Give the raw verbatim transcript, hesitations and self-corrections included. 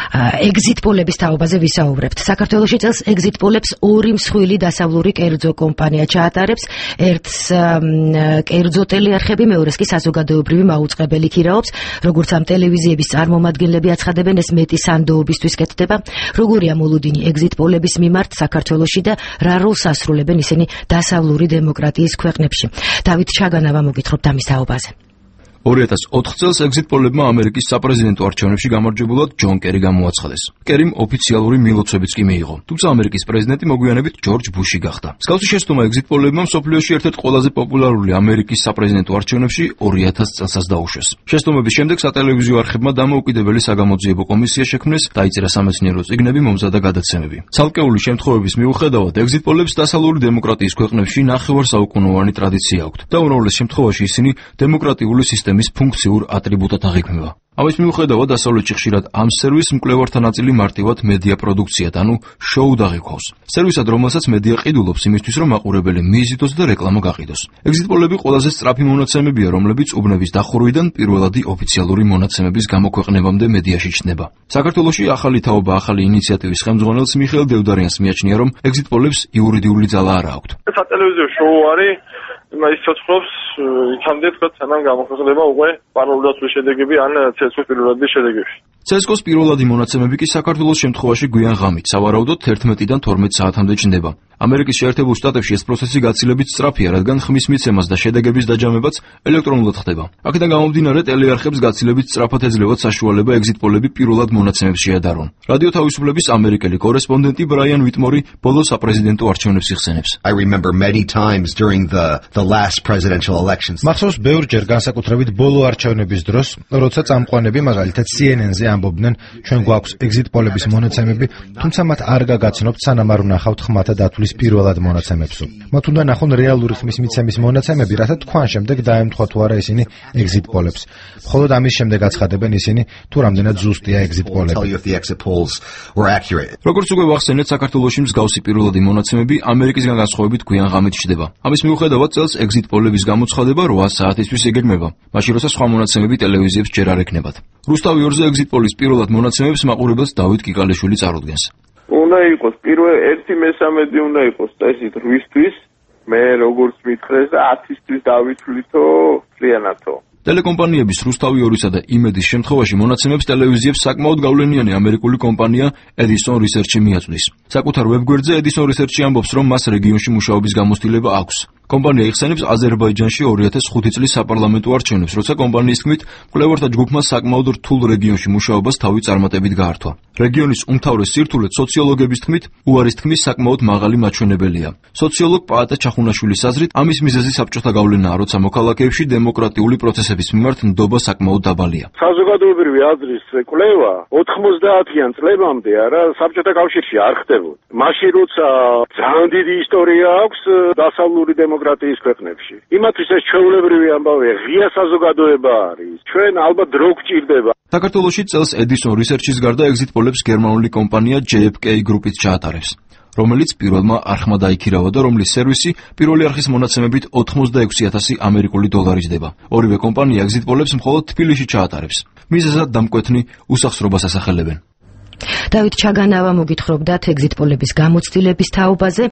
ეგზიტ პოლების თაობაზე ვისაუბრებთ. საქართველოში წელს ეგზიტ პოლებს ორი მსხვილი დასავლური კერძო კომპანია ჩაატარებს. ერთს კერძო ტელეარხები, მეორეს კი საზოგადოებრივი მაუწყებელი ქირაობს. როგორც ამ ტელევიზიების წარმომადგენლები აცხადებენ, ეს მეტი სანდოობისთვის კეთდება. როგორია მოლოდინი ეგზიტ პოლების მიმართ საქართველოში და რა როლს ასრულებენ ისინი დასავლური დემოკრატიის ქვეყნებში? დავით ჩაგანავა მოგითხრობთ ამის თაობაზე. ორი ათას ოთხ წელს ეგზიტ პოლებმა ამერიკის საპრეზიდენტო არჩევნებში გამარჯვებულად ჯონ კერი გამოაცხადეს. კერიმ ოფიციალური მილოცვებიც კი მიიღო. თუმცა ამერიკის პრეზიდენტი მოგვიანებით ჯორჯ ბუში გახდა. მსგავსი შეცდომა ეგზიტ პოლებმა მსოფლიოში ერთ-ერთ ყველაზე პოპულარული ამერიკის საპრეზიდენტო არჩევნებში ორი ათას წელსაც დაუშვეს. შეცდომების შემდეგ სატელევიზიო არხებმა დამოუკიდებელი საგამოძიებო კომისია შექმნეს, დაიწერა სამეცნიერო წიგნები, მომზადა გადაცემები. ცალკეული შემთხვევების მიუხედავად ეგზიტ პოლებს დასავლური დემოკრატიის ქვეყნებში ნახევარსაუკუნოვანი ტრადიცია აქვთ და უმრავლეს შემთხვევაში ისინი დემოკრატიული სისტემის ფუნქციურ ატრიბუტად აღიქმება. ამის მიუხედავად დასავლეთში ხშირად ამ სერვისს მკვლევართა ნაწილი მარტივად მედია პროდუქციად, ანუ შოუდ აღიქვავს. სერვისად, რომელსაც მედია ყიდულობს იმისთვის, რომ მაყურებელი მიიზიდოს და რეკლამა გაყიდოს. ეგზიტ პოლები ყველაზე სწრაფი მონაცემებია, რომლებიც უბნების დახურვიდან პირველადი ოფიციალური მონაცემების გამოქვეყნებამდე მედიაში ჩნდება. საქართველოში ახალი თაობა, ახალი ინიციატივის ხელმძღვანელს მიხეილ დევდარიანს მიაჩნია, რომ ეგზიტ პოლებს იურიდიული ძალა არ აქვთ. სატელევიზიო შოუ არის ის ცოცხლობს იქამდე თქვა სანამ გამოქვეყნება უკვე პარალელურად შედეგები ან ცესკოს პირველადი შედეგები. ცესკოს პირველადი მონაცემები კი საქართველოს შემთხვევაში გვიან ღამით, სავარაუდოდ თერთმეტიდან თორმეტ საათამდე ჩნდება. ამერიკის შეერთებულ შტატებში ეს პროცესი გაცილებით სწრაფია, რადგან ხმის მიცემას და შედეგების დაჯამებაც ელექტრონულად ხდება. აქედან გამომდინარე, ტელეარხებს გაცილებით სწრაფად ეძლევათ საშუალება ეგზიტ პოლები პირველად მონაცემებს შეადარონ. რადიო თავისუფლების ამერიკელი კორესპონდენტი ბრაიან ვიტმორი ბოლო საპრეზიდენტო არჩევნებს იხსენებს. I remember many times during the the last presidential elections. მახსოვს ბევრჯერ განსაკუთრებით ბოლო არჩევნების დროს, როცა წამყვანები მაგალითად C N N-ზე ამბობდნენ, ჩვენ გვაქვს ეგზიტ პოლების მონაცემები, თუმცა მათ არ გაგაცნობთ, სანამ არ ვნახავთ ხმათა დათვლის პირველად მონაცემებსო. მათ უნდა ნახონ რეალური ხმის მიცემის მონაცემები, რათა თქვან შემდეგ დაემთხვა თუ არა ისინი ეგზიტ პოლებს. მხოლოდ ამის შემდეგ აცხადებენ ისინი, თუ რამდენად ზუსტია ეგზიტ პოლები. როგორც უკვე ვახსენეთ, საქართველოში მსგავსი პირველადი მონაცემები ამერიკისგან განსხვავებით გვიან ღამით ჩნდება. ამის მიუხედავად წელს ეგზიტ პოლების გამოცხადება რვა საათისთვის იგეგმება, მაშინ როცა სხვა მონაცემები ტელევიზიებს ჯერ არ ექნებათ. რუსთავი ორზე ეგზიტ პოლის პირველად მონაცემებს მაყურებელს დავით კიკალიშვილი წარუდგენს. უნდა იყოს პირველ ერთი მესამედი უნდა იყოს წესით რვისთვის, მე როგორც მითხრეს და ათისთვის დავითვლითო წლიანათო. ტელეკომპანიების რუსთავი ორისა და იმედის შემთხვევაში მონაცემებს ტელევიზიებს საკმაოდ გავლენიანი ამერიკული კომპანია Edison Research-ი მიაწვდის. საკუთარ ვებგვერდზე Edison Research-ი ამბობს, რომ მას რეგიონში მუშაობის გამოცდილება აქვს. კომპანია იხსენებს აზერბაიჯანში ორი ათას ხუთი წლის საპარლამენტო არჩევნებს, როცა კომპანიის თქმით, მკვლევართა ჯგუფმა საკმაოდ რთულ რეგიონში მუშაობას თავი წარმატებით გაართვა. რეგიონის უმთავრეს სირთულე სოციოლოგების თქმით, უარის თქმის საკმაოდ მაღალი მაჩვენებელია. სოციოლოგ პაატა ჩახუნაშვილის აზრით, ამის მიზეზი საბჭოთა გავლენაა, როცა მოქალაქეებში დემოკრატიული პროცესების მიმართ ნდობა საკმაოდ დაბალია. საზოგადოებრივი აზრის კვლევა ოთხმოცდაათიან წლებამდე არა საბჭოთა კავშირში არ ხდებოდა. მაშინ როცა ძალიან დიდი ისტორია აქვს დასავლური დემოკრატიის ქვეყნებში. იმათთვის ეს ჩვეულებრივი ამბავია, ღია საზოგადოება არის. ჩვენ ალბათ დრო გჭირდება. საქართველოში წელს Edison Research-ის გარდა ეგზიტ პოლებს გერმანული კომპანია J F K Group-იც ჩაატარებს, რომელიც პირველმა არხმა დაიქირავა და რომლის სერვისი პირველი არხის მონაცემებით ოთხმოცდაექვსი ათასი ამერიკული დოლარი ჯდება. ორივე კომპანია ეგზიტ პოლებს მხოლოდ თბილისში ჩაატარებს. მიზეზად დამკვეთნი უსახსრობას ასახელებენ. დავით ჩაგანავა მოგითხრობდათ ეგზიტ პოლების გამოცდილების თაობაზე.